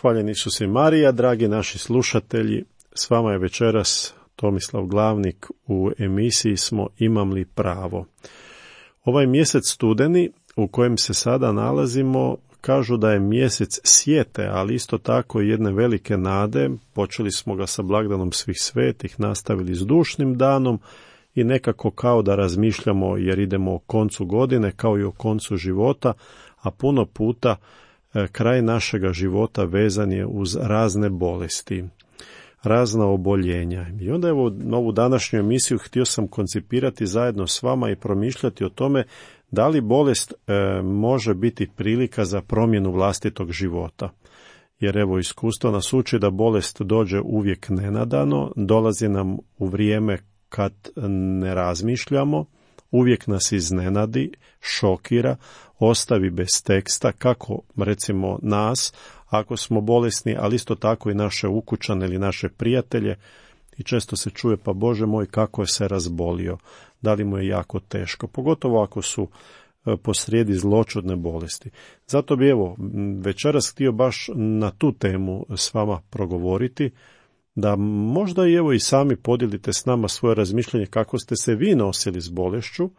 Hvaljen Isus i Marija, dragi naši slušatelji, s vama je večeras Tomislav Glavnik u emisiji smo Imam li pravo. Ovaj mjesec studeni u kojem se sada nalazimo kažu da je mjesec sjete, ali isto tako i jedne velike nade. Počeli smo ga sa blagdanom svih svetih, nastavili s dušnim danom i nekako kao da razmišljamo jer idemo o koncu godine kao i o koncu života, a puno puta kraj našega života vezan je uz razne bolesti, razna oboljenja. I onda evo na ovu današnju emisiju htio sam koncipirati zajedno s vama i promišljati o tome da li bolest može biti prilika za promjenu vlastitog života. Jer evo iskustvo nas uči da bolest dođe uvijek nenadano, dolazi nam u vrijeme kad ne razmišljamo, uvijek nas iznenadi, šokira, ostavi bez teksta, kako recimo nas, ako smo bolesni, ali isto tako i naše ukućane ili naše prijatelje. I često se čuje, pa Bože moj, kako je se razbolio, da li mu je jako teško, pogotovo ako su posrijedi zloćudne bolesti. Zato bi evo večeras htio baš na tu temu s vama progovoriti, da možda i evo i sami podijelite s nama svoje razmišljanje kako ste se vi nosili s bolešću,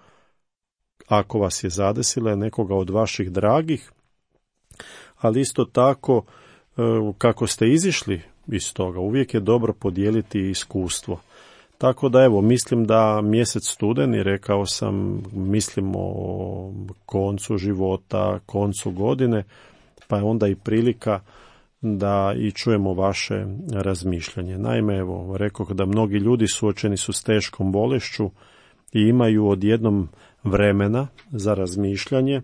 ako vas je zadesila nekoga od vaših dragih, ali isto tako kako ste izišli iz toga. Uvijek je dobro podijeliti iskustvo. Tako da evo, mislim da mjesec studeni, rekao sam, mislimo o koncu života, koncu godine, pa je onda i prilika da i čujemo vaše razmišljanje. Naime, evo, rekoh da mnogi ljudi suočeni su s teškom bolešću i imaju odjednom vremena za razmišljanje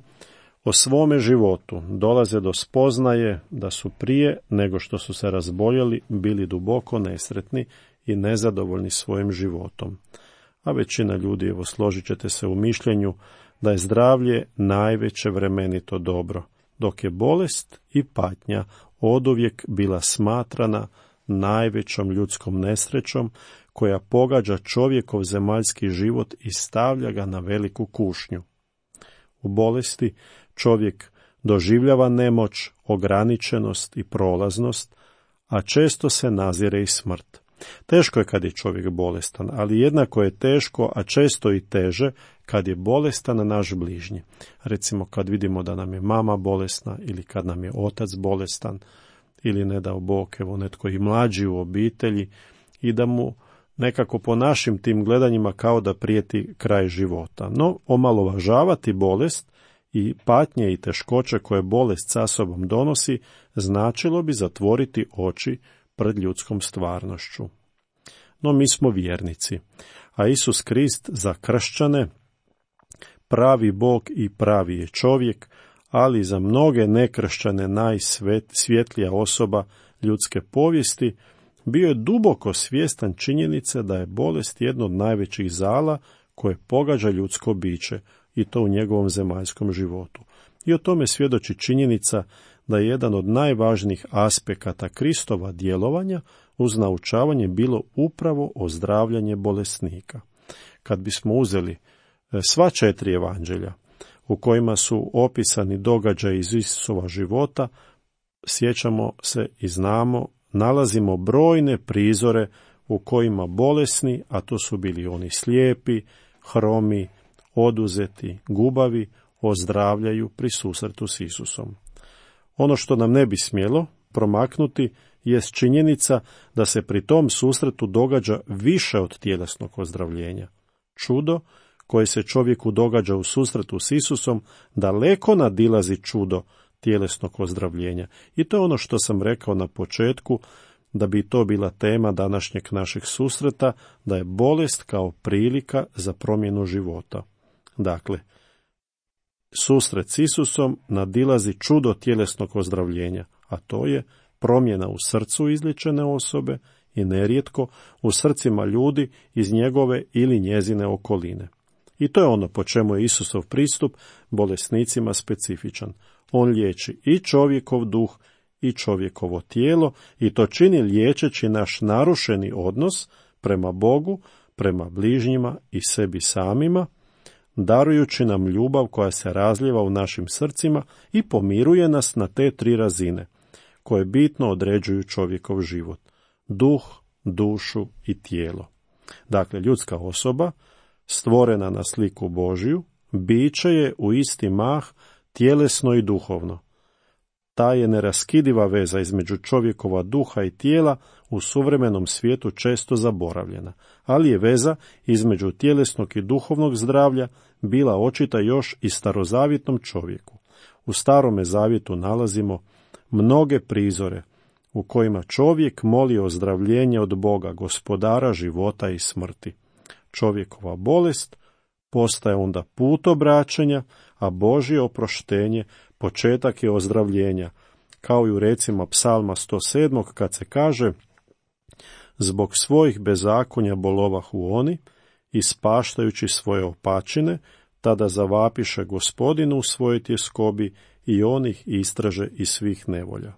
o svome životu. Dolaze do spoznaje da su prije nego što su se razboljeli bili duboko nesretni i nezadovoljni svojim životom. A većina ljudi, evo, složit ćete se u mišljenju da je zdravlje najveće vremenito dobro, dok je bolest i patnja oduvijek bila smatrana najvećom ljudskom nesrećom koja pogađa čovjekov zemaljski život i stavlja ga na veliku kušnju. U bolesti čovjek doživljava nemoć, ograničenost i prolaznost, a često se nazire i smrt. Teško je kad je čovjek bolestan, ali jednako je teško, a često i teže, kad je bolestan naš bližnji. Recimo kad vidimo da nam je mama bolesna ili kad nam je otac bolestan ili ne dao Bog, evo netko i mlađi u obitelji i da mu nekako po našim tim gledanjima kao da prijeti kraj života. No, omalovažavati bolest i patnje i teškoće koje bolest sa sobom donosi značilo bi zatvoriti oči pred ljudskom stvarnošću. No mi smo vjernici, a Isus Krist za kršćane pravi Bog i pravi je čovjek, ali za mnoge nekršćane najsvjetlija osoba ljudske povijesti, bio je duboko svjestan činjenice da je bolest jedno od najvećih zala koje pogađa ljudsko biće i to u njegovom zemaljskom životu. I o tome svjedoči činjenica da je jedan od najvažnijih aspekata Kristova djelovanja uz naučavanje bilo upravo ozdravljanje bolesnika. Kad bismo uzeli sva 4 evanđelja u kojima su opisani događaji iz Isusova života, sjećamo se i znamo, nalazimo brojne prizore u kojima bolesni, a to su bili oni slijepi, hromi, oduzeti, gubavi, ozdravljaju pri susretu s Isusom. Ono što nam ne bi smjelo promaknuti jest činjenica da se pri tom susretu događa više od tjelesnog ozdravljenja. Čudo koje se čovjeku događa u susretu s Isusom daleko nadilazi čudo tjelesnog ozdravljenja. I to je ono što sam rekao na početku, da bi to bila tema današnjeg našeg susreta, da je bolest kao prilika za promjenu života. Dakle, susret s Isusom nadilazi čudo tjelesnog ozdravljenja, a to je promjena u srcu izliječene osobe i nerijetko u srcima ljudi iz njegove ili njezine okoline. I to je ono po čemu je Isusov pristup bolesnicima specifičan. On liječi i čovjekov duh i čovjekovo tijelo i to čini liječeći naš narušeni odnos prema Bogu, prema bližnjima i sebi samima, darujući nam ljubav koja se razlijeva u našim srcima i pomiruje nas na te 3 razine, koje bitno određuju čovjekov život. Duh, dušu i tijelo. Dakle, ljudska osoba, stvorena na sliku Božju, biće je u isti mah tjelesno i duhovno. Ta je neraskidiva veza između čovjekova duha i tijela u suvremenom svijetu često zaboravljena, ali je veza između tjelesnog i duhovnog zdravlja bila očita još i starozavjetnom čovjeku. U Starome zavjetu nalazimo mnoge prizore u kojima čovjek moli ozdravljenje od Boga, gospodara života i smrti. Čovjekova bolest postaje onda put obraćanja, a Božje oproštenje početak je ozdravljenja, kao i u recima Psalma 107. kad se kaže: zbog svojih bezakonja bolovahu oni, ispaštajući svoje opačine, tada zavapiše Gospodinu u svojoj tjeskobi i on ih istraže iz svih nevolja.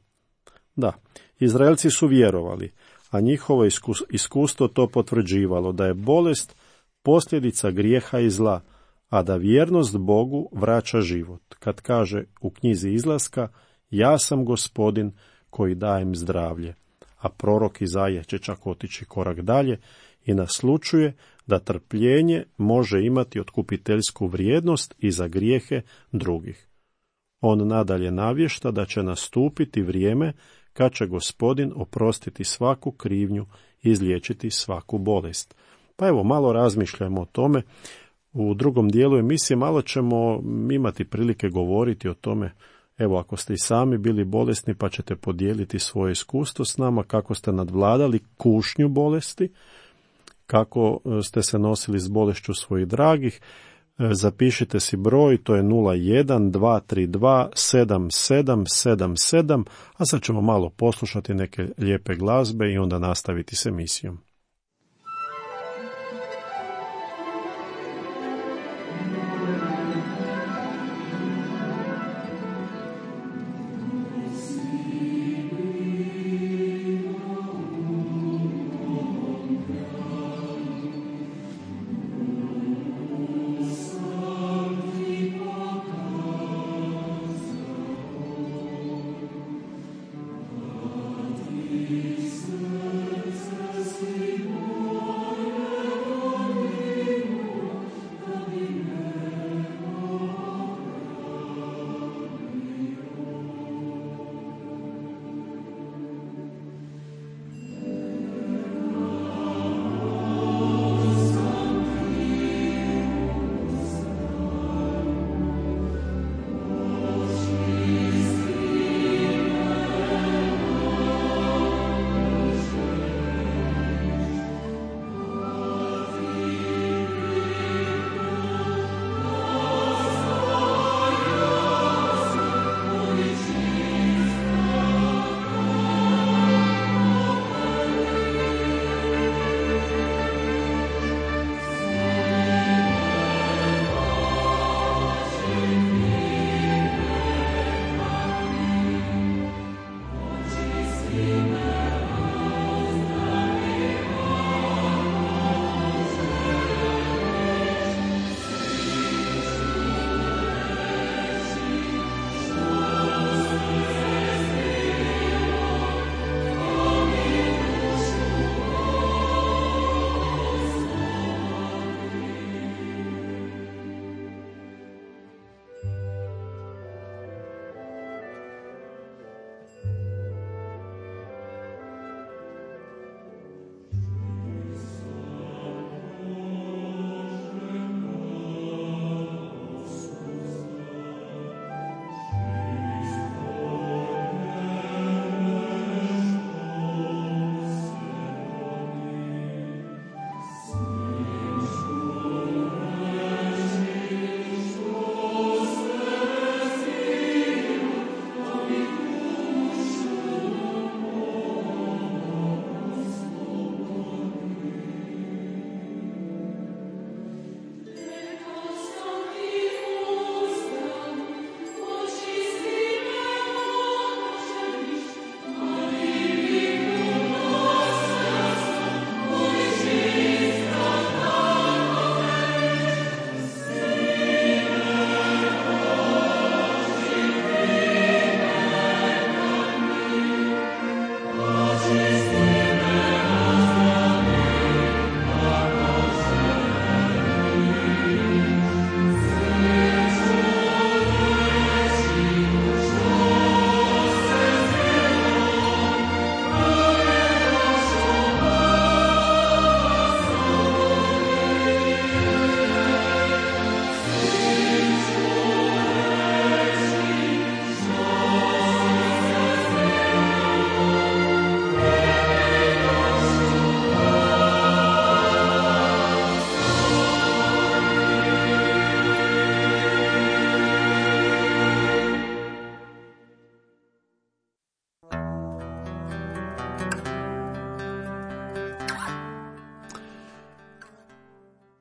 Da, Izraelci su vjerovali, a njihovo iskustvo to potvrđivalo, da je bolest posljedica grijeha i zla, a da vjernost Bogu vraća život. Kad kaže u knjizi Izlaska: ja sam Gospodin koji dajem zdravlje. A prorok Izaija će čak otići korak dalje i naslučuje da trpljenje može imati otkupiteljsku vrijednost i za grijehe drugih. On nadalje navješta da će nastupiti vrijeme kad će Gospodin oprostiti svaku krivnju i izliječiti svaku bolest. Pa evo, malo razmišljamo o tome. U drugom dijelu emisije malo ćemo imati prilike govoriti o tome. Evo, ako ste i sami bili bolesni, pa ćete podijeliti svoje iskustvo s nama, kako ste nadvladali kušnju bolesti, kako ste se nosili s bolešću svojih dragih. Zapišite si broj, to je 01-232-7777, a sad ćemo malo poslušati neke lijepe glazbe i onda nastaviti s emisijom.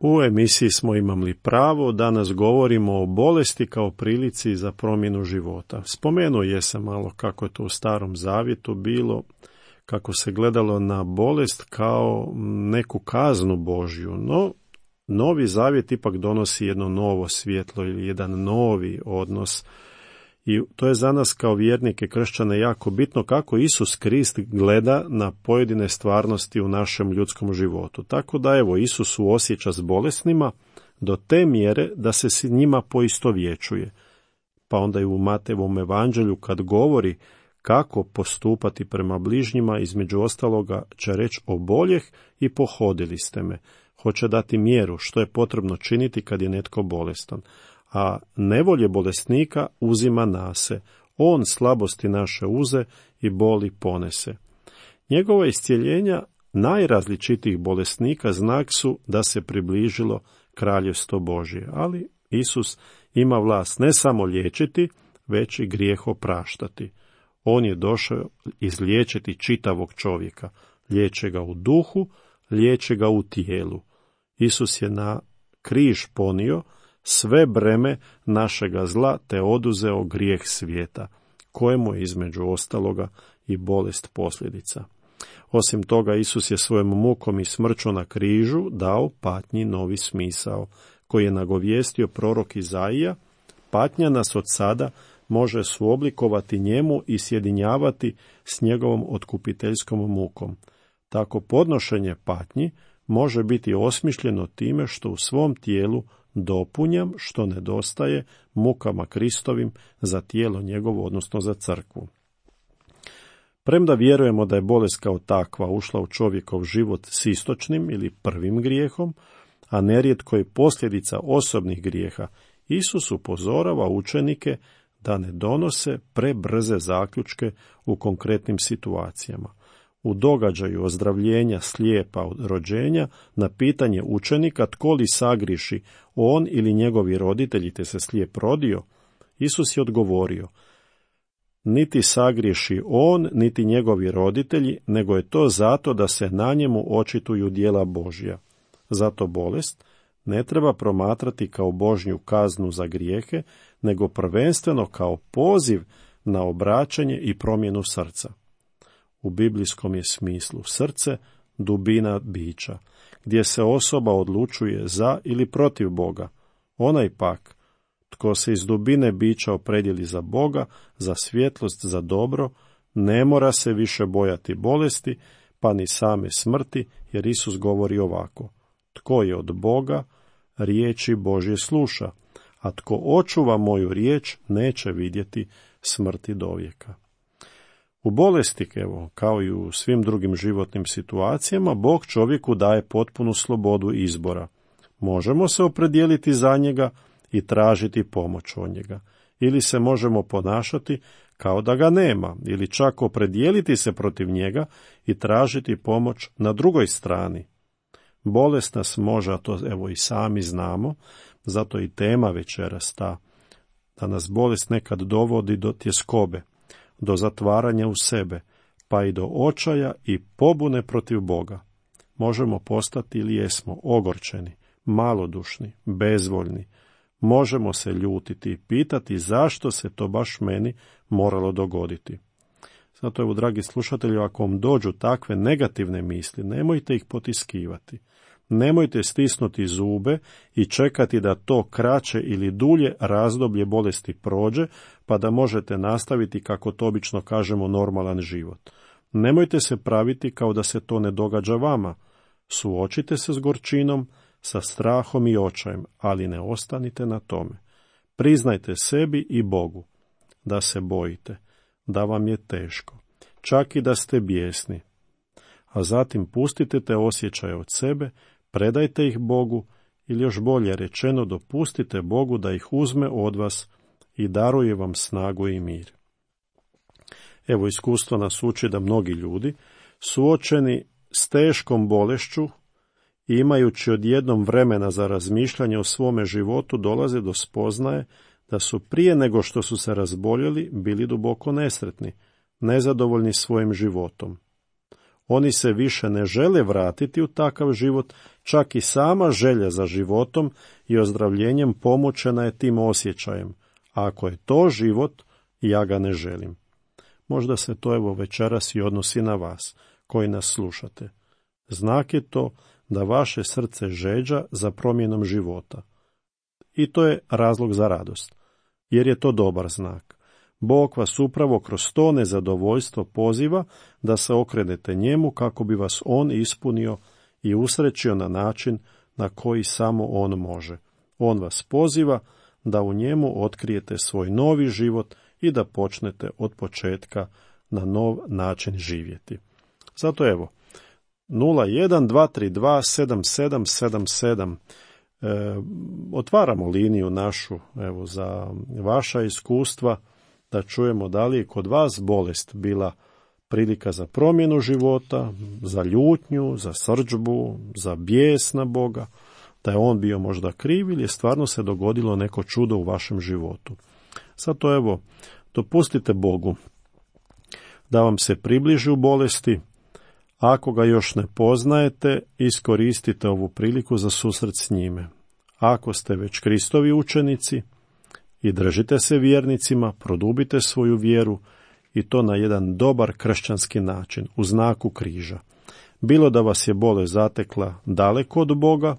U emisiji smo Imam li pravo, danas govorimo o bolesti kao prilici za promjenu života. Spomenuo jesam malo kako je to u Starom Zavjetu bilo, kako se gledalo na bolest kao neku kaznu Božju, no Novi Zavjet ipak donosi jedno novo svjetlo ili jedan novi odnos. I to je za nas kao vjernike kršćane jako bitno kako Isus Krist gleda na pojedine stvarnosti u našem ljudskom životu. Tako da evo, Isus suosjeća s bolesnima do te mjere da se s njima poistovjećuje. Pa onda i u Matejevom evanđelju kad govori kako postupati prema bližnjima, između ostaloga će reći oboljeh i pohodili ste me. Hoće dati mjeru što je potrebno činiti kad je netko bolestan. A nevolje bolesnika uzima nase. On slabosti naše uze i boli ponese. Njegova iscjeljenja najrazličitijih bolesnika znak su da se približilo kraljevstvo Božje. Ali Isus ima vlast ne samo liječiti, već i grijeh opraštati. On je došao izliječiti čitavog čovjeka. Liječe ga u duhu, liječe ga u tijelu. Isus je na križ ponio sve breme našega zla te oduzeo grijeh svijeta, kojemu je između ostaloga i bolest posljedica. Osim toga, Isus je svojom mukom i smrću na križu dao patnji novi smisao, koji je nagovijestio prorok Izaija. Patnja nas od sada može suoblikovati njemu i sjedinjavati s njegovom otkupiteljskom mukom. Tako podnošenje patnji može biti osmišljeno time što u svom tijelu dopunjam što nedostaje mukama Kristovim za tijelo njegovo, odnosno za crkvu. Premda vjerujemo da je bolest kao takva ušla u čovjekov život s istočnim ili prvim grijehom, a nerijetko je posljedica osobnih grijeha, Isus upozorava učenike da ne donose prebrze zaključke u konkretnim situacijama. U događaju ozdravljenja slijepa od rođenja, na pitanje učenika tko li sagriješi, on ili njegovi roditelji te se slijep rodio, Isus je odgovorio: niti sagriješi on, niti njegovi roditelji, nego je to zato da se na njemu očituju djela Božja. Zato bolest ne treba promatrati kao Božju kaznu za grijehe, nego prvenstveno kao poziv na obraćanje i promjenu srca. U biblijskom je smislu srce dubina bića, gdje se osoba odlučuje za ili protiv Boga. Onaj pak, tko se iz dubine bića opredijeli za Boga, za svjetlost, za dobro, ne mora se više bojati bolesti, pa ni same smrti, jer Isus govori ovako: tko je od Boga, riječi Božje sluša, a tko očuva moju riječ, neće vidjeti smrti dovijeka. U bolesti, evo, kao i u svim drugim životnim situacijama, Bog čovjeku daje potpunu slobodu izbora. Možemo se opredijeliti za njega i tražiti pomoć od njega, ili se možemo ponašati kao da ga nema, ili čak opredijeliti se protiv njega i tražiti pomoć na drugoj strani. Bolest nas može, a to evo i sami znamo, zato i tema večeras ta, da nas bolest nekad dovodi do tjeskobe, do zatvaranja u sebe, pa i do očaja i pobune protiv Boga. Možemo postati ili jesmo ogorčeni, malodušni, bezvoljni. Možemo se ljutiti i pitati zašto se to baš meni moralo dogoditi. Zato evo, dragi slušatelji, ako vam dođu takve negativne misli, nemojte ih potiskivati. Nemojte stisnuti zube i čekati da to kraće ili dulje razdoblje bolesti prođe, pa da možete nastaviti, kako to obično kažemo, normalan život. Nemojte se praviti kao da se to ne događa vama. Suočite se s gorčinom, sa strahom i očajem, ali ne ostanite na tome. Priznajte sebi i Bogu da se bojite, da vam je teško, čak i da ste bijesni. A zatim pustite te osjećaje od sebe, predajte ih Bogu, ili još bolje rečeno, dopustite Bogu da ih uzme od vas i daruje vam snagu i mir. Evo, iskustvo nas uči da mnogi ljudi, suočeni s teškom bolešću i imajući odjednom vremena za razmišljanje o svome životu, dolaze do spoznaje da su prije nego što su se razboljeli bili duboko nesretni, nezadovoljni svojim životom. Oni se više ne žele vratiti u takav život, čak i sama želja za životom i ozdravljenjem pomoćena je tim osjećajem. A ako je to život, ja ga ne želim. Možda se to evo večeras i odnosi na vas, koji nas slušate. Znak je to da vaše srce žeđa za promjenom života. I to je razlog za radost, jer je to dobar znak. Bog vas upravo kroz to nezadovoljstvo poziva da se okrenete njemu kako bi vas on ispunio i usrećio na način na koji samo on može. On vas poziva da u njemu otkrijete svoj novi život i da počnete od početka na nov način živjeti. Zato evo, 012327777 otvaramo liniju našu evo za vaša iskustva, da čujemo da li je kod vas bolest bila prilika za promjenu života, za ljutnju, za srdžbu, za bijes na Boga, da je on bio možda kriv ili je stvarno se dogodilo neko čudo u vašem životu. Zato evo, dopustite Bogu da vam se približi u bolesti. Ako ga još ne poznajete, iskoristite ovu priliku za susret s njime. Ako ste već Kristovi učenici i držite se vjernicima, produbite svoju vjeru i to na jedan dobar kršćanski način, u znaku križa. Bilo da vas je bolest zatekla daleko od Boga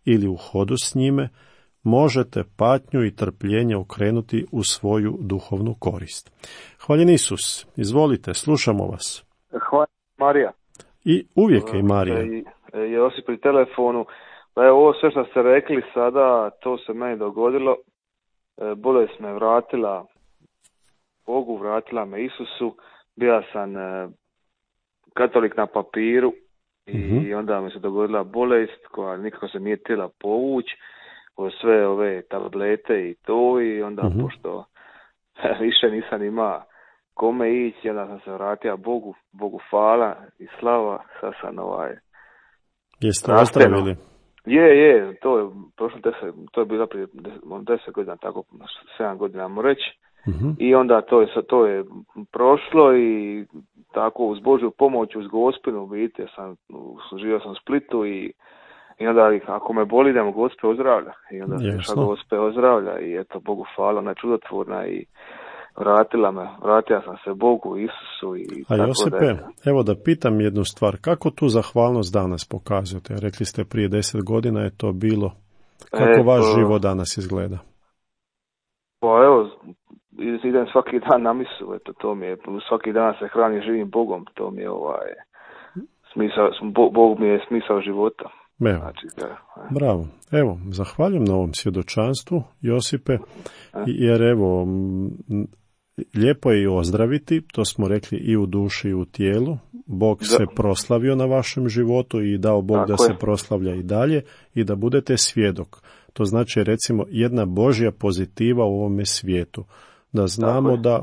ili u hodu s njime, možete patnju i trpljenje okrenuti u svoju duhovnu korist. Hvaljen Isus, izvolite, slušamo vas. Hvala Marija. I uvijek je i Marija. Josip pri telefonu. Pa evo, ovo sve što ste rekli sada, to se meni dogodilo. Bolest me vratila Bogu, vratila me Isusu. Bio sam katolik na papiru i onda mi se dogodila bolest koja nikako se nije htjela povući. Sve ove tablete i to, i onda pošto više nisam imao kome ići, onda sam se vratio Bogu hvala i slava, sad sam Jeste ozdravili? Je, to je prošlo to je bilo prije 10 godina, tako 7 godina mogu reći. I onda to je prošlo i tako uz Božju pomoć, uz Gospinu, vidite, živio sam u Splitu i onda ako me boli da me Gospe ozdravlja. I onda se Gospe ozdravlja i eto, Bogu hvala, ona je čudotvorna i vratio sam se Bogu, Isusu i a tako Josipe, evo da pitam jednu stvar, kako tu zahvalnost danas pokazujete? Rekli ste prije 10 godina je to bilo. Kako vaš život danas izgleda? Pa evo, idem svaki dan na misu, eto, to mi je, svaki dan se hranim živim Bogom, to mi je smisao, Bog mi je smisao života. Evo, znači, bravo. Evo, zahvaljujem na ovom svjedočanstvu, Josipe, jer evo, lijepo je i ozdraviti, to smo rekli i u duši i u tijelu. Bog se proslavio na vašem životu i dao Bog tako da se proslavlja i dalje i da budete svjedok. To znači, recimo, jedna Božja pozitiva u ovome svijetu. Da znamo da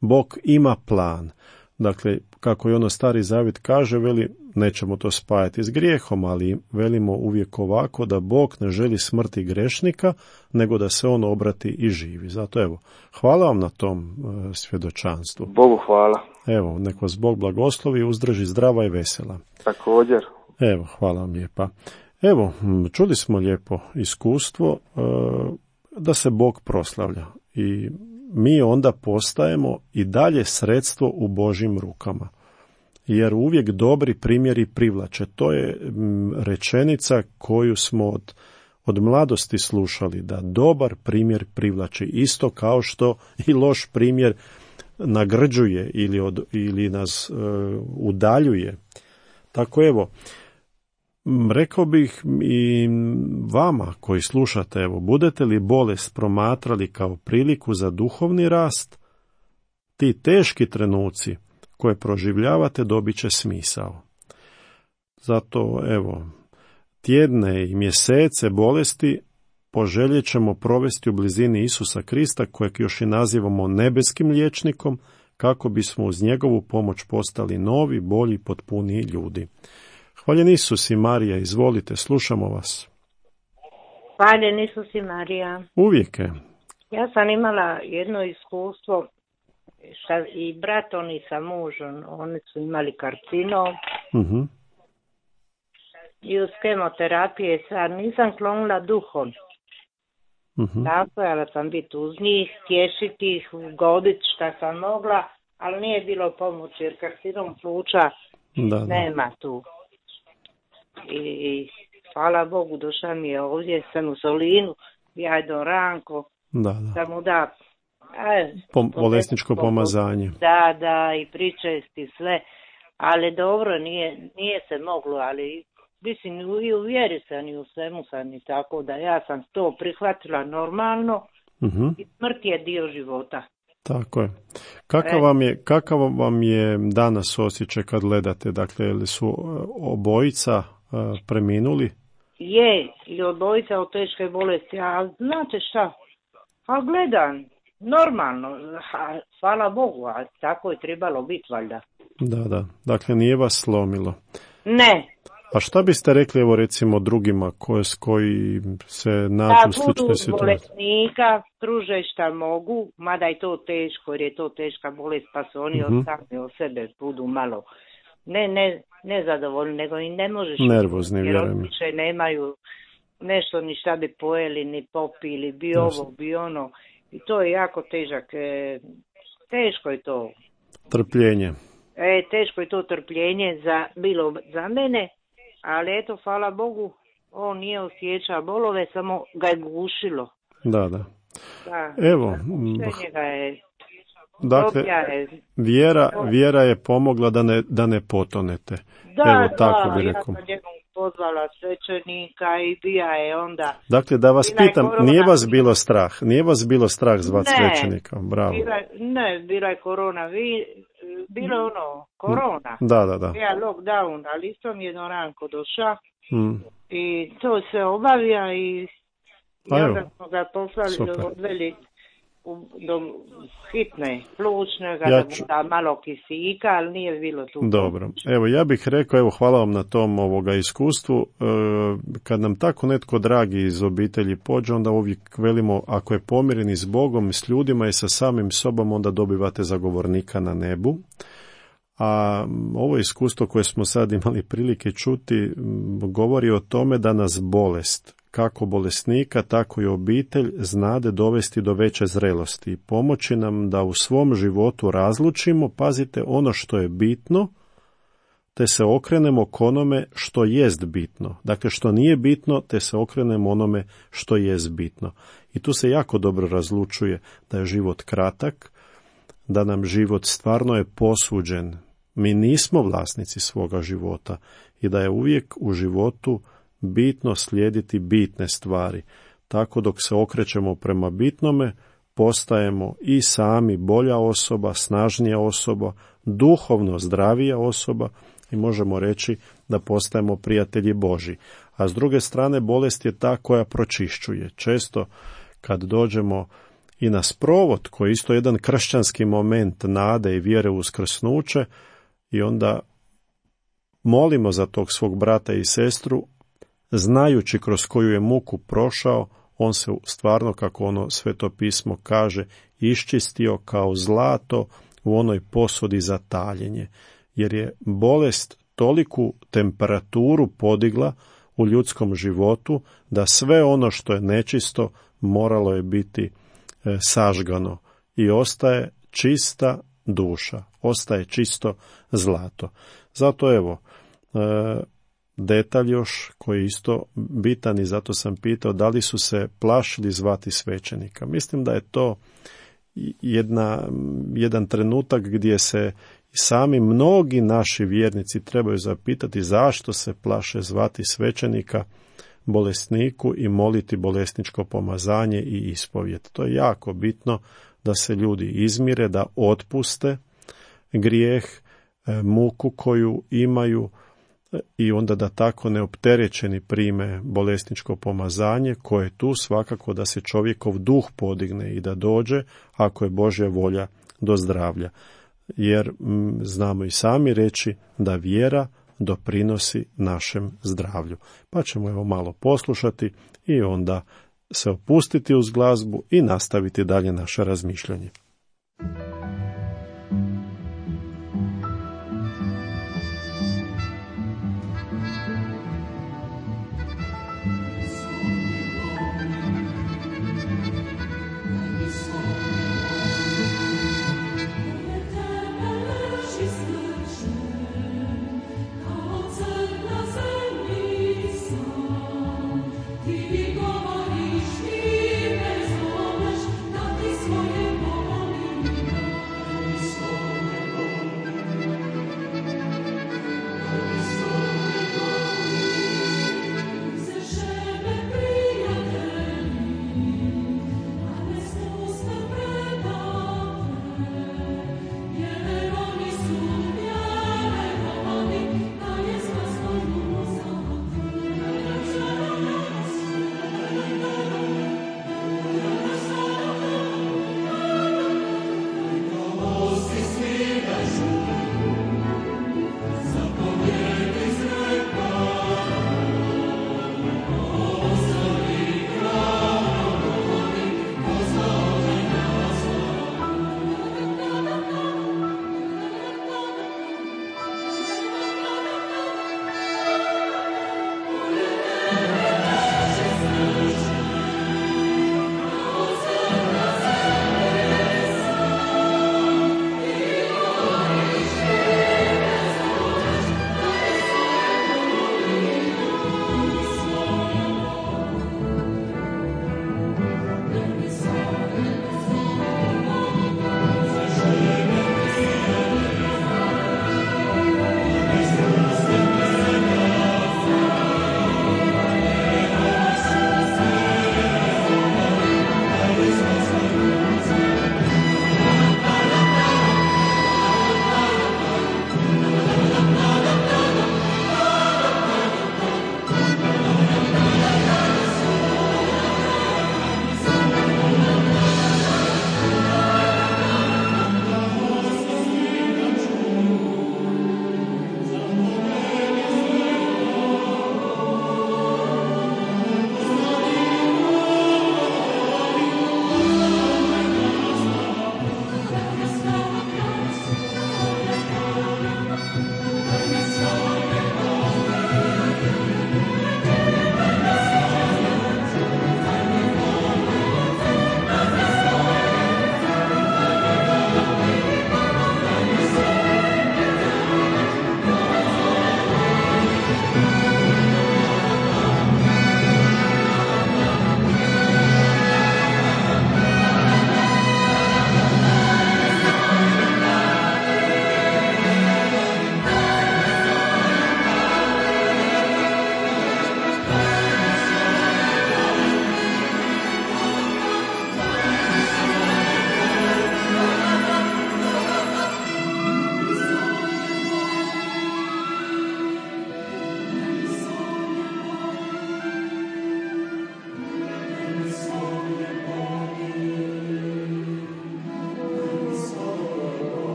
Bog ima plan. Dakle, kako i ono Stari Zavjet kaže, veli, nećemo to spajati s grijehom, ali velimo uvijek ovako da Bog ne želi smrti grešnika, nego da se on obrati i živi. Zato evo, hvala vam na tom svjedočanstvu. Bogu hvala. Evo, nek vas Bog blagoslovi i uzdrži zdrava i vesela. Također. Evo, hvala vam lijepa. Evo, čuli smo lijepo iskustvo da se Bog proslavlja i mi onda postajemo i dalje sredstvo u Božjim rukama. Jer uvijek dobri primjeri privlače. To je rečenica koju smo od mladosti slušali, da dobar primjer privlači, isto kao što i loš primjer nagrđuje ili nas udaljuje. Tako evo, rekao bih i vama koji slušate, evo, budete li bolest promatrali kao priliku za duhovni rast, ti teški trenuci koje proživljavate dobit će smisao. Zato, evo, tjedne i mjesece bolesti poželjet ćemo provesti u blizini Isusa Krista, kojeg još i nazivamo nebeskim liječnikom, kako bismo uz njegovu pomoć postali novi, bolji, potpuniji ljudi. Hvaljen Isus i Marija, izvolite, slušamo vas. Hvaljen Isus i Marija. Uvijek je. Ja sam imala jedno iskustvo i brat, oni sa mužom, oni su imali karcinom Mhm. I uz kemoterapije sad nisam klonila duhom. Mhm. Nastojala sam biti uz njih, tješiti ih, goditi šta sam mogla, ali nije bilo pomoći jer karcinom pluća Da, da. nema tu. I hvala Bogu, došla mi je ovdje, sam u Solinu, ja idem Ranko, Da, da. da mu da Bolesničko pomazanje. Da, i pričesti sve, ali dobro, nije se moglo, ali mislim i u vjeri sam i u svemu sam i tako da ja sam to prihvatila normalno Mhm. i smrt je dio života. Tako je. Kakav vam je danas osjećaj kad gledate? Dakle, li su obojica preminuli? Je, i obojica od teške bolesti, a znate šta? A gledam, normalno, hvala Bogu, a tako je trebalo biti valjda. Da. Dakle, nije vas slomilo. Ne. A šta biste rekli, evo recimo, drugima koji se nađu u sličnoj situaciji? Bolesnika pruže šta mogu, mada je to teško, jer je to teška bolest, pa su oni sami od sebe budu malo ne zadovoljni, nego i ne možeš... Nervozni, vjerujem. Jer više nemaju nešto ni šta bi pojeli, ni popili, bi ovo, bi ono. I to je jako težak. Teško je to. Trpljenje. Teško je to trpljenje bilo za mene, ali eto, hvala Bogu, on nije osjećao bolove, samo ga je gušilo. Da. Evo, ga je, dakle, vjera je pomogla da ne potonete. Evo, tako bi rekao. Ja sam jednom pozvala svećenika i bija je onda... Dakle, da vas pitam, nije vas bilo strah zvati svećenika? Bravo. Bila je korona, bilo korona. Da. Bija lockdown, ali isto mi je Ranko došao i to se obavija i onda smo ga poslali, odveli do hitne plućne, da da malo kisika, ali nije bilo tu. Dobro, evo ja bih rekao, hvala vam na tom iskustvu. Kad nam tako netko dragi iz obitelji pođe, onda uvijek velimo, ako je pomireni s Bogom, s ljudima i sa samim sobom, onda dobivate zagovornika na nebu. A ovo iskustvo koje smo sad imali prilike čuti govori o tome da nas bolest, kako bolesnika, tako i obitelj, znade dovesti do veće zrelosti i pomoći nam da u svom životu razlučimo, pazite, ono što je bitno, te se okrenemo k onome što jest bitno. Dakle, što nije bitno, te se okrenemo onome što jest bitno. I tu se jako dobro razlučuje da je život kratak, da nam život stvarno je posuđen. Mi nismo vlasnici svoga života i da je uvijek u životu bitno slijediti bitne stvari. Tako dok se okrećemo prema bitnome, postajemo i sami bolja osoba, snažnija osoba, duhovno zdravija osoba i možemo reći da postajemo prijatelji Božji. A s druge strane, bolest je ta koja pročišćuje. Često kad dođemo i na sprovod, koji je isto jedan kršćanski moment nade i vjere u uskrsnuće, i onda molimo za tog svog brata i sestru, znajući kroz koju je muku prošao, on se stvarno, kako ono Sveto pismo kaže, iščistio kao zlato u onoj posudi za taljenje, jer je bolest toliku temperaturu podigla u ljudskom životu da sve ono što je nečisto moralo je biti sažgano i ostaje čista duša, ostaje čisto zlato. Zato evo, detalj još koji je isto bitan i zato sam pitao da li su se plašili zvati svećenika. Mislim da je to jedan trenutak gdje se sami mnogi naši vjernici trebaju zapitati zašto se plaše zvati svećenika bolesniku i moliti bolesničko pomazanje i ispovijed. To je jako bitno da se ljudi izmire, da otpuste grijeh, muku koju imaju i onda da tako neopterećeni prime bolesničko pomazanje koje je tu svakako da se čovjekov duh podigne i da dođe, ako je Božja volja, do zdravlja. Jer znamo i sami reći da vjera doprinosi našem zdravlju. Pa ćemo evo malo poslušati i onda se opustiti uz glazbu i nastaviti dalje naše razmišljanje.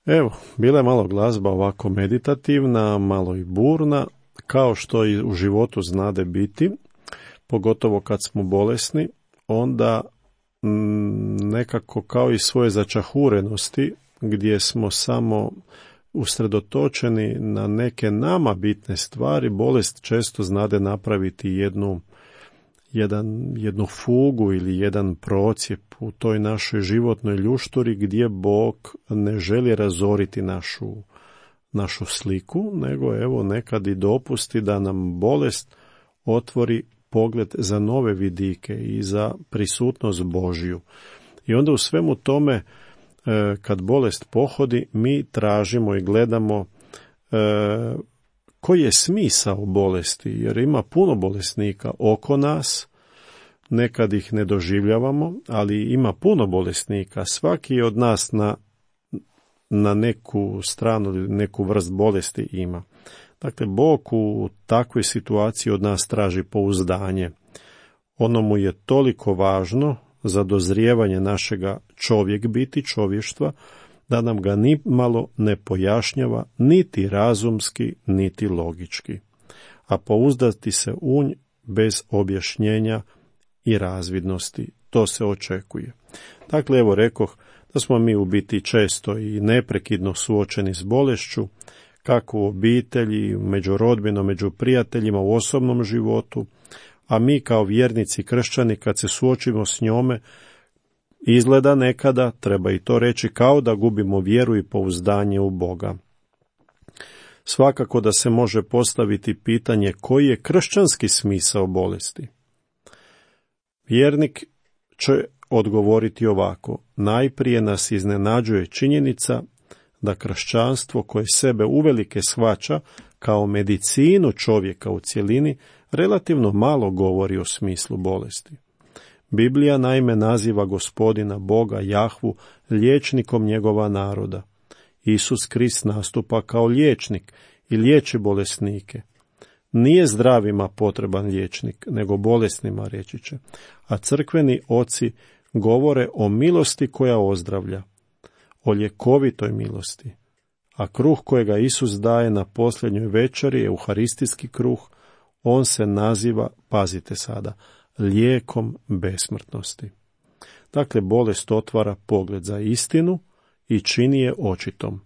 Evo, bila je malo glazba ovako meditativna, malo i burna, kao što i u životu znade biti, pogotovo kad smo bolesni, onda nekako kao i svoje začahurenosti, gdje smo samo usredotočeni na neke nama bitne stvari, bolest često znade napraviti jednu fugu ili jedan procijep u toj našoj životnoj ljušturi gdje Bog ne želi razoriti našu sliku, nego evo nekad i dopusti da nam bolest otvori pogled za nove vidike i za prisutnost Božju. I onda u svemu tome, kad bolest pohodi, mi tražimo i gledamo koji je smisao bolesti, jer ima puno bolesnika oko nas, nekad ih ne doživljavamo, ali ima puno bolesnika. Svaki od nas na neku stranu, neku vrst bolesti ima. Dakle, Bog u takvoj situaciji od nas traži pouzdanje. Ono mu je toliko važno za dozrijevanje našega čovjek biti, čovještva, da nam ga ni malo ne pojašnjava, niti razumski, niti logički. A pouzdati se u nj bez objašnjenja i razvidnosti, to se očekuje. Dakle, evo rekoh da smo mi u biti često i neprekidno suočeni s bolešću, kako u obitelji, među rodbinom, među prijateljima, u osobnom životu, a mi kao vjernici kršćani kad se suočimo s njome, izgleda nekada, treba i to reći, kao da gubimo vjeru i pouzdanje u Boga. Svakako da se može postaviti pitanje koji je kršćanski smisao bolesti. Vjernik će odgovoriti ovako: najprije nas iznenađuje činjenica da kršćanstvo koje sebe uvelike shvaća kao medicinu čovjeka u cjelini relativno malo govori o smislu bolesti. Biblija naime naziva Gospodina Boga Jahvu liječnikom njegova naroda. Isus Krist nastupa kao liječnik i liječi bolesnike. Nije zdravima potreban liječnik, nego bolesnima, reći će. A crkveni oci govore o milosti koja ozdravlja, o ljekovitoj milosti. A kruh kojega Isus daje na posljednjoj večeri, euharistijski kruh, on se naziva, pazite sada, lijekom besmrtnosti. Dakle, bolest otvara pogled za istinu i čini je očitom.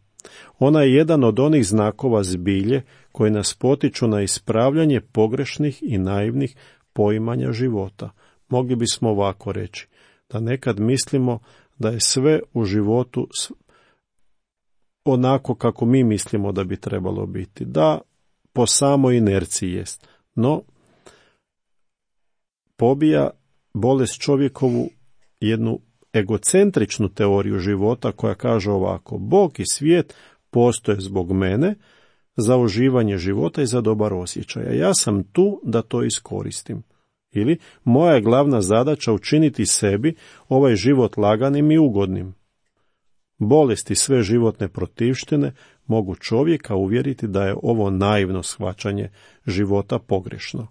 Ona je jedan od onih znakova zbilje koji nas potiču na ispravljanje pogrešnih i naivnih poimanja života. Mogli bismo ovako reći, da nekad mislimo da je sve u životu onako kako mi mislimo da bi trebalo biti, da po samoj inerciji jest. No, pobija bolest čovjekovu jednu egocentričnu teoriju života koja kaže ovako: Bog i svijet postoje zbog mene, za uživanje života i za dobar osjećaj. A ja sam tu da to iskoristim. Ili, moja je glavna zadaća učiniti sebi ovaj život laganim i ugodnim. Bolesti, sve životne protivštine mogu čovjeka uvjeriti da je ovo naivno shvaćanje života pogrešno.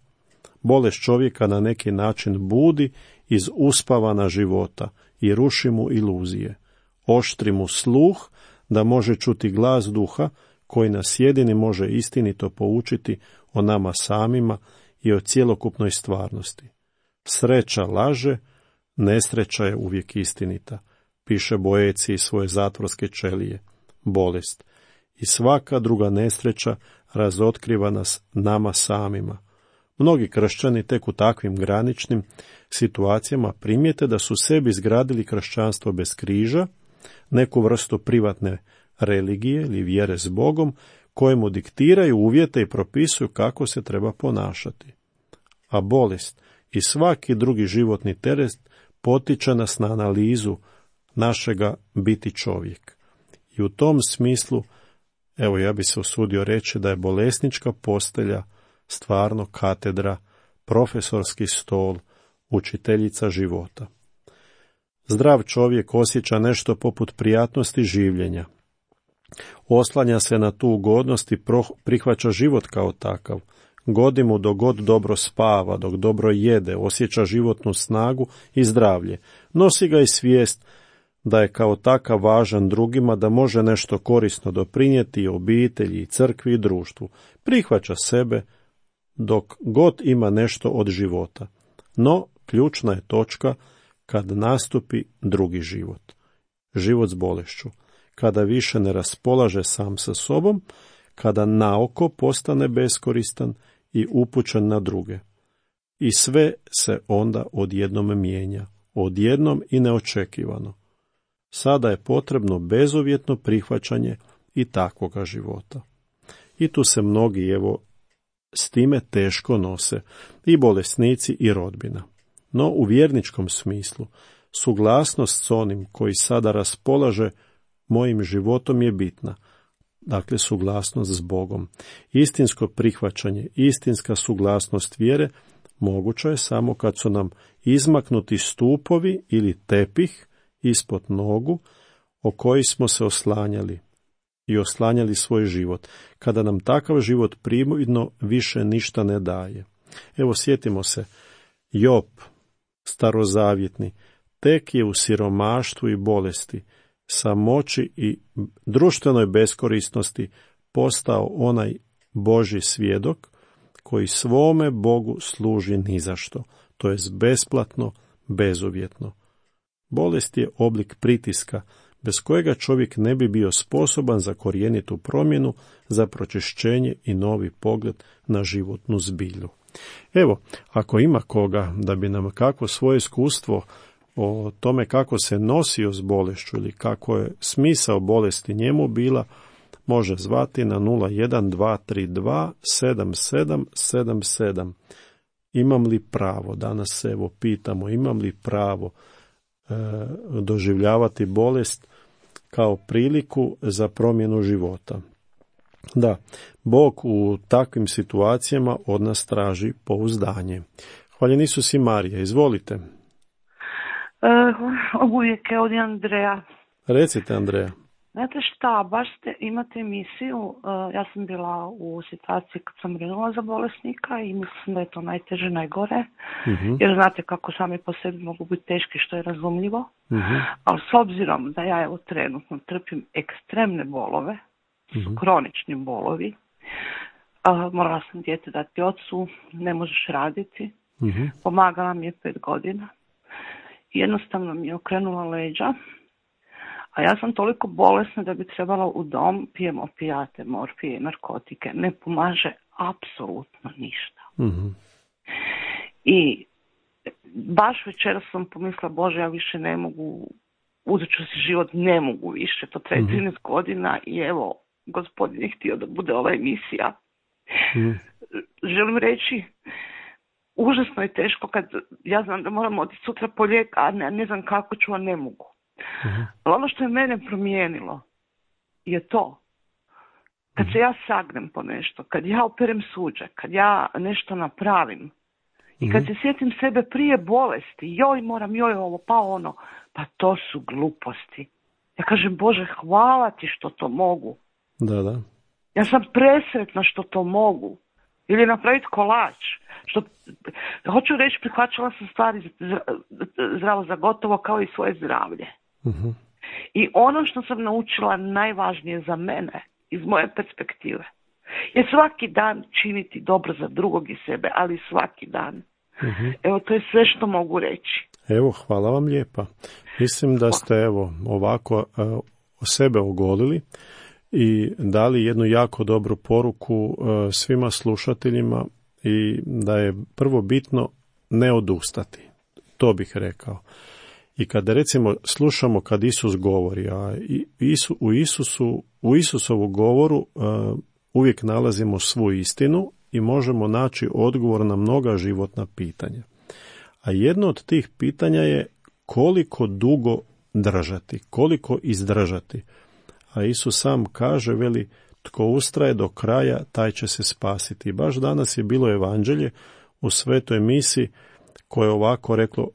Bolest čovjeka na neki način budi iz uspavana života i ruši mu iluzije. Oštri mu sluh da može čuti glas duha koji nas jedini može istinito poučiti o nama samima i o cjelokupnoj stvarnosti. Sreća laže, nesreća je uvijek istinita, piše Boeci iz svoje zatvorske ćelije. Bolest i svaka druga nesreća razotkriva nas nama samima. Mnogi kršćani tek u takvim graničnim situacijama primijete da su sebi izgradili kršćanstvo bez križa, neku vrstu privatne religije ili vjere s Bogom, kojemu diktiraju uvjete i propisuju kako se treba ponašati. A bolest i svaki drugi životni teret potiče nas na analizu našega biti čovjek. I u tom smislu, evo ja bi se usudio reći da je bolesnička postelja stvarno katedra, profesorski stol, učiteljica života. Zdrav čovjek osjeća nešto poput prijatnosti življenja. Oslanja se na tu ugodnost i prihvaća život kao takav. Godi mu dok god dobro spava, dok dobro jede, osjeća životnu snagu i zdravlje. Nosi ga i svijest da je kao takav važan drugima, da može nešto korisno doprinijeti i obitelji, i crkvi i društvu. Prihvaća sebe dok god ima nešto od života. No, ključna je točka kad nastupi drugi život. Život s bolešću. Kada više ne raspolaže sam sa sobom, kada naoko postane beskoristan i upućen na druge. I sve se onda odjednom mijenja, odjednom i neočekivano. Sada je potrebno bezuvjetno prihvaćanje i takvoga života. I tu se mnogi, s time teško nose, i bolesnici i rodbina. No u vjerničkom smislu, suglasnost s onim koji sada raspolaže mojim životom je bitna. Dakle, suglasnost s Bogom. Istinsko prihvaćanje, istinska suglasnost vjere moguća je samo kad su nam izmaknuti stupovi ili tepih ispod nogu o koji smo se oslanjali i oslanjali svoj život, kada nam takav život prividno više ništa ne daje. Evo, sjetimo se, Job, starozavjetni, tek je u siromaštvu i bolesti, samoći i društvenoj beskorisnosti postao onaj Božji svjedok koji svome Bogu služi nizašto, to jest besplatno, bezuvjetno. Bolest je oblik pritiska, bez kojega čovjek ne bi bio sposoban za korjenitu promjenu, za pročišćenje i novi pogled na životnu zbilju. Evo, ako ima koga da bi nam kako svoje iskustvo o tome kako se nosio s bolešću ili kako je smisao bolesti njemu bila, može zvati na 01232 7777. Imam li pravo, danas se pitamo, imam li pravo doživljavati bolest kao priliku za promjenu života. Da, Bog u takvim situacijama od nas traži pouzdanje. Hvaljen Isus i Marija, izvolite. Uvijek je ovdje Andreja. Recite, Andreja. Znate šta, baš imate emisiju, ja sam bila u situaciji kad sam brinula za bolesnika i mislim da je to najteže, najgore, jer znate kako sami po sebi mogu biti teški, što je razumljivo, ali s obzirom da ja trenutno trpim ekstremne bolove, su kronični bolovi, morala sam dijete dati ocu, ne možeš raditi, pomagala mi je 5 godina, jednostavno mi je okrenula leđa, a ja sam toliko bolesna da bi trebala u dom, pijem opijate, morfije, narkotike, ne pomaže apsolutno ništa. I baš večeras sam pomislila, Bože, ja više ne mogu, uzet ću si život, ne mogu više, to traje 13 godina i evo, Gospodin je htio da bude ova emisija. Želim reći, užasno je teško kad ja znam da moram otići sutra po lijek, a ne znam kako ću, a ne mogu. Ali ono što je mene promijenilo je to, kad se ja sagnem po nešto, kad ja operem suđe, kad ja nešto napravim i kad se sjetim sebe prije bolesti, joj moram, joj ovo, pa ono, pa to su gluposti. Ja kažem, Bože, hvala ti što to mogu. Da. Ja sam presretna što to mogu. Ili napraviti kolač. Hoću reći, prihvaćala sam stvari zdravo za gotovo kao i svoje zdravlje. I ono što sam naučila najvažnije za mene, iz moje perspektive, je svaki dan činiti dobro za drugog i sebe, ali svaki dan. Evo, to je sve što mogu reći. Evo, hvala vam lijepa. Mislim da ste ovako o sebe ogolili i dali jednu jako dobru poruku svima slušateljima i da je prvo bitno ne odustati. To bih rekao. I kada recimo slušamo kad Isus govori, a u Isusovu govoru uvijek nalazimo svu istinu i možemo naći odgovor na mnoga životna pitanja. A jedno od tih pitanja je koliko dugo držati, koliko izdržati. A Isus sam kaže, veli, tko ustraje do kraja, taj će se spasiti. I baš danas je bilo evanđelje u svetoj misi koje je ovako reklo,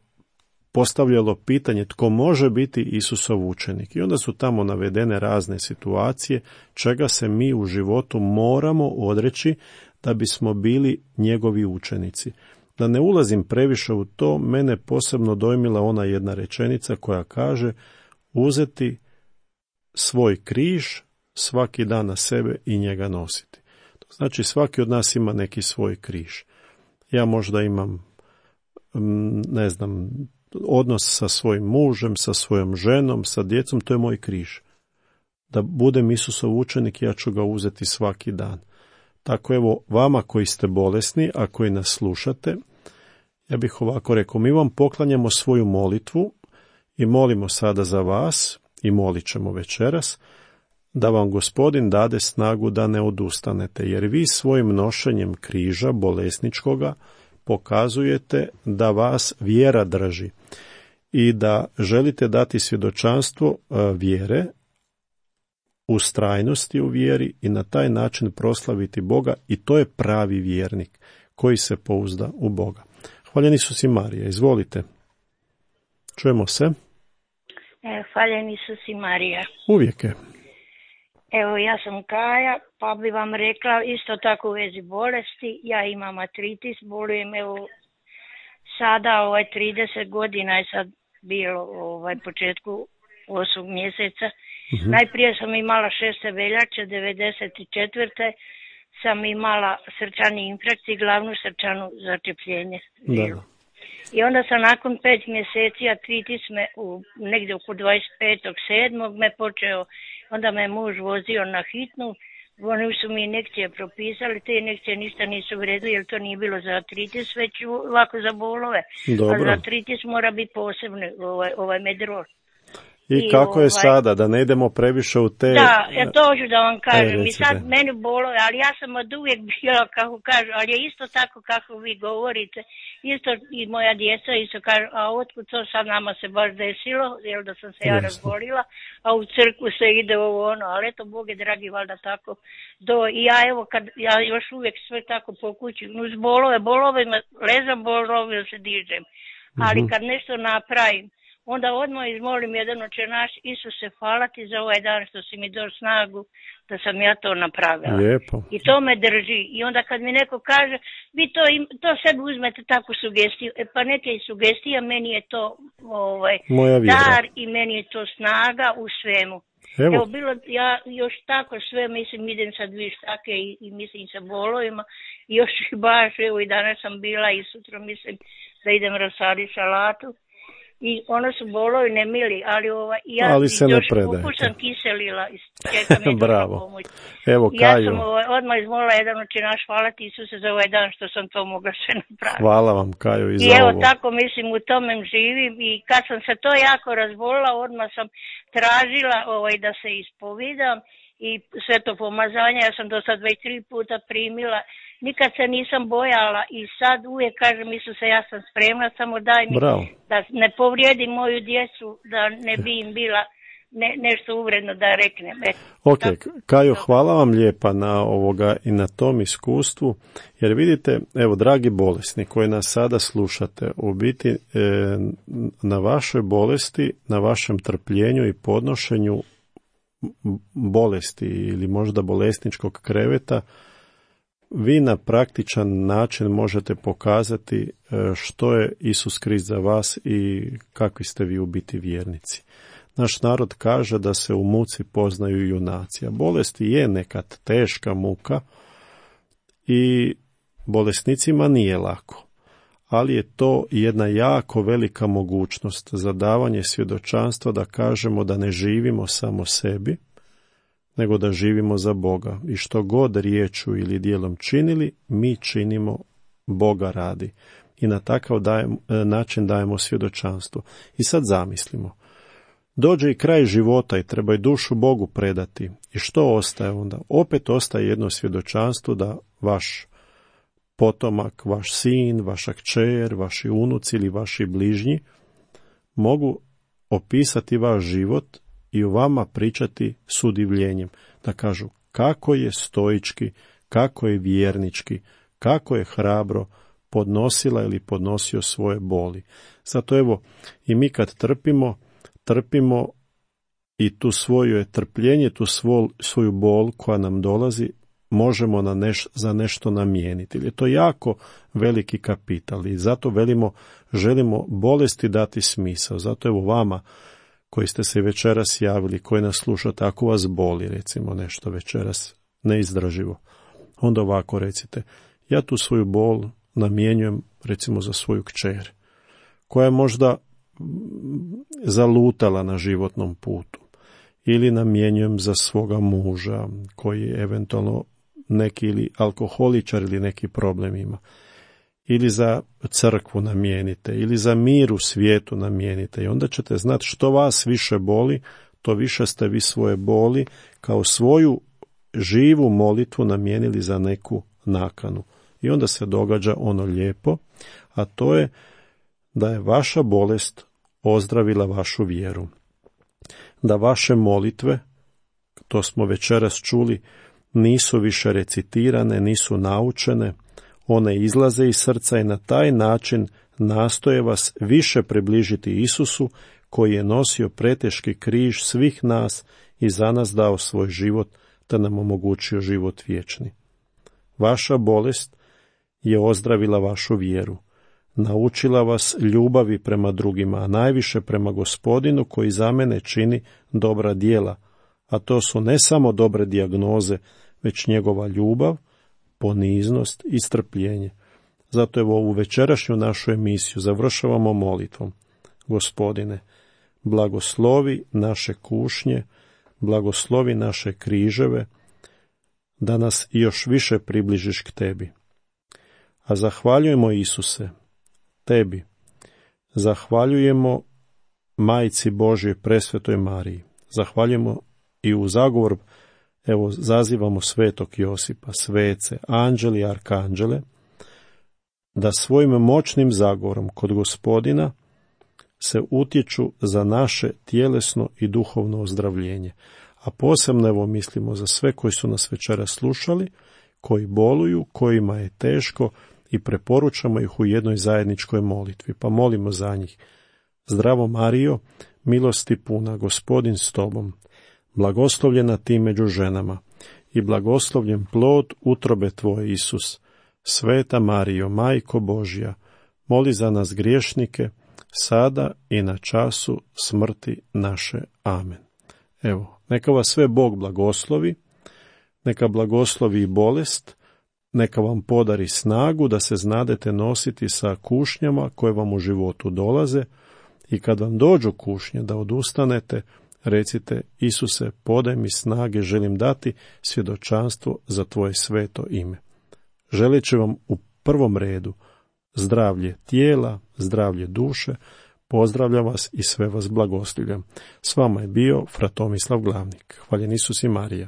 postavljalo pitanje tko može biti Isusov učenik. I onda su tamo navedene razne situacije čega se mi u životu moramo odreći da bismo bili njegovi učenici. Da ne ulazim previše u to, mene posebno dojmila ona jedna rečenica koja kaže uzeti svoj križ svaki dan na sebe i njega nositi. To znači svaki od nas ima neki svoj križ. Ja možda imam, ne znam, odnos sa svojim mužem, sa svojom ženom, sa djecom, to je moj križ. Da budem Isusov učenik, ja ću ga uzeti svaki dan. Tako evo, vama koji ste bolesni, a koji nas slušate, ja bih ovako rekao, mi vam poklanjamo svoju molitvu i molimo sada za vas i molit ćemo večeras, da vam Gospodin dade snagu da ne odustanete, jer vi svojim nošenjem križa bolesničkoga pokazujete da vas vjera drži i da želite dati svjedočanstvo vjere, ustrajnosti u vjeri i na taj način proslaviti Boga, i to je pravi vjernik koji se pouzda u Boga. Hvaljen Isus i Marija, izvolite. Čujemo se. Hvaljen Isus i Marija. Uvijek je. Evo, ja sam Kaja, pa bi vam rekla isto tako u vezi bolesti. Ja imam artritis, bolujem evo sada 30 godina je sad bilo početku 8. mjeseca. Najprije sam imala 6. veljače 94. sam imala srčani infarkt i glavnu srčanu začepljenje. I onda sam nakon 5 mjeseci artritis me negdje oko 25.7. me počeo, onda me muž vozio na hitnu, oni su mi injekcije propisali, te injekcije ništa nisu vredili jer to nije bilo za artritis, već ovako za bolove. Dobro. A za artritis mora biti posebno ovaj medrol. I kako je sada, da ne idemo previše u te... Da, to ću da vam kažem. I sad meni bolove, ali ja sam od uvijek bila, kako kažu, ali je isto tako kako vi govorite. Isto i moja djeca isto kažu, a otkud to sad nama se baš desilo, jer da sam se ja razbolila, a u crkvu se ide ovo ono, ali eto, Bog je dragi, valjda tako. I ja evo, kad ja još uvijek sve tako po kući, uz bolove, ležam bolove, se dižem. Ali kad nešto napravim, onda odmah izmolim jedan Oče naš, Isuse, hvala ti za ovaj dan što si mi dao snagu da sam ja to napravila. Lijepo. I to me drži. I onda kad mi neko kaže, vi to sebi uzmete takvu sugestiju, pa neke i sugestija, meni je to dar i meni je to snaga u svemu. Evo bilo, ja još tako sve, mislim, idem sad vištake i mislim sa bolovima, i još baš, evo i danas sam bila i sutra mislim da idem rasaditi salatu. I ono su bolovi nemili, ali se još ne sam kiselila i čekam Bravo. pomoć. Evo, Kaju. Ja sam odmah izmolila jedan Oče naš, hvala ti Isuse za ovaj dan što sam to mogla sve napraviti. Hvala vam, Kaju, i za ovo. I evo ovo. tako mislim u tome živim, i kad sam se to jako razbolila, odmah sam tražila da se ispovidam i sve to pomazanje, ja sam do sad već 3 puta primila. Nikad se nisam bojala i sad uvijek kažem, Isuse, ja sam spremna, samo daj mi da ne povrijedim moju djecu, da ne bi im bila nešto uvredno da reknem. Ok, Kajo, hvala vam lijepa na ovoga i na tom iskustvu, jer vidite, evo, dragi bolesni koji nas sada slušate, u biti na vašoj bolesti, na vašem trpljenju i podnošenju bolesti ili možda bolesničkog kreveta, vi na praktičan način možete pokazati što je Isus Krist za vas i kakvi ste vi u biti vjernici. Naš narod kaže da se u muci poznaju junaci, a bolest je nekad teška muka i bolesnicima nije lako, ali je to jedna jako velika mogućnost za davanje svjedočanstva da kažemo da ne živimo samo sebi, nego da živimo za Boga. I što god riječju ili djelom činili, mi činimo Boga radi. I na takav način dajemo svjedočanstvo. I sad zamislimo. Dođe i kraj života i treba i dušu Bogu predati. I što ostaje onda? Opet ostaje jedno svjedočanstvo da vaš potomak, vaš sin, vaša kćer, vaši unuci ili vaši bližnji mogu opisati vaš život i u vama pričati s udivljenjem, da kažu kako je stoički, kako je vjernički, kako je hrabro podnosila ili podnosio svoje boli. Zato evo, i mi kad trpimo i tu svoje trpljenje, tu svoju bol koja nam dolazi, možemo za nešto namijeniti. Je to jako veliki kapital i zato želimo bolesti dati smisao. Zato evo vama koji ste se večeras javili, koji nas slušate, ako vas boli, recimo nešto večeras neizdrživo, onda ovako recite, ja tu svoju bol namjenjujem recimo za svoju kćer, koja je možda zalutala na životnom putu, ili namjenjujem za svoga muža, koji je eventualno neki ili alkoholičar ili neki problem ima, ili za crkvu namijenite, ili za mir u svijetu namijenite, i onda ćete znati što vas više boli, to više ste vi svoje boli kao svoju živu molitvu namijenili za neku nakanu. I onda se događa ono lijepo, a to je da je vaša bolest ozdravila vašu vjeru. Da vaše molitve, to smo večeras čuli, nisu više recitirane, nisu naučene, one izlaze iz srca i na taj način nastoje vas više približiti Isusu, koji je nosio preteški križ svih nas i za nas dao svoj život, te nam omogućio život vječni. Vaša bolest je ozdravila vašu vjeru, naučila vas ljubavi prema drugima, a najviše prema Gospodinu koji za mene čini dobra djela, a to su ne samo dobre dijagnoze, već njegova ljubav, poniznost i strpljenje. Zato evo ovu večerašnju našu emisiju završavamo molitvom. Gospodine, blagoslovi naše kušnje, blagoslovi naše križeve, da nas još više približiš k tebi. A zahvaljujemo Isuse, tebi, zahvaljujemo Majci Božjoj presvetoj Mariji, zahvaljujemo i u zagovor, evo zazivamo svetog Josipa, svece, anđeli i arkanđele, da svojim moćnim zagovorom kod Gospodina se utječu za naše tjelesno i duhovno ozdravljenje. A posebno evo mislimo za sve koji su nas večeras slušali, koji boluju, kojima je teško, i preporučamo ih u jednoj zajedničkoj molitvi, pa molimo za njih. Zdravo Marijo, milosti puna, Gospodin s tobom, blagoslovljena ti među ženama i blagoslovljen plod utrobe tvoje Isus. Sveta Marijo, Majko Božja, moli za nas griješnike, sada i na času smrti naše. Amen. Evo, neka vas sve Bog blagoslovi, neka blagoslovi i bolest, neka vam podari snagu da se znadete nositi sa kušnjama koje vam u životu dolaze, i kad vam dođu kušnje da odustanete, recite, Isuse, podaj mi snage, želim dati svjedočanstvo za tvoje sveto ime. Želeći vam u prvom redu zdravlje tijela, zdravlje duše, pozdravljam vas i sve vas blagoslivljam. S vama je bio fra Tomislav Glavnik. Hvaljen Isus i Marija.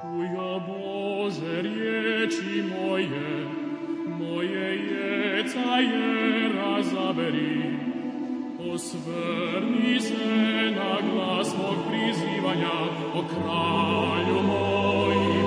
Čujo Bože riječi moje, moje jeca je razaberi. Osvrni se na glas mog prizivanja, o kralju moj.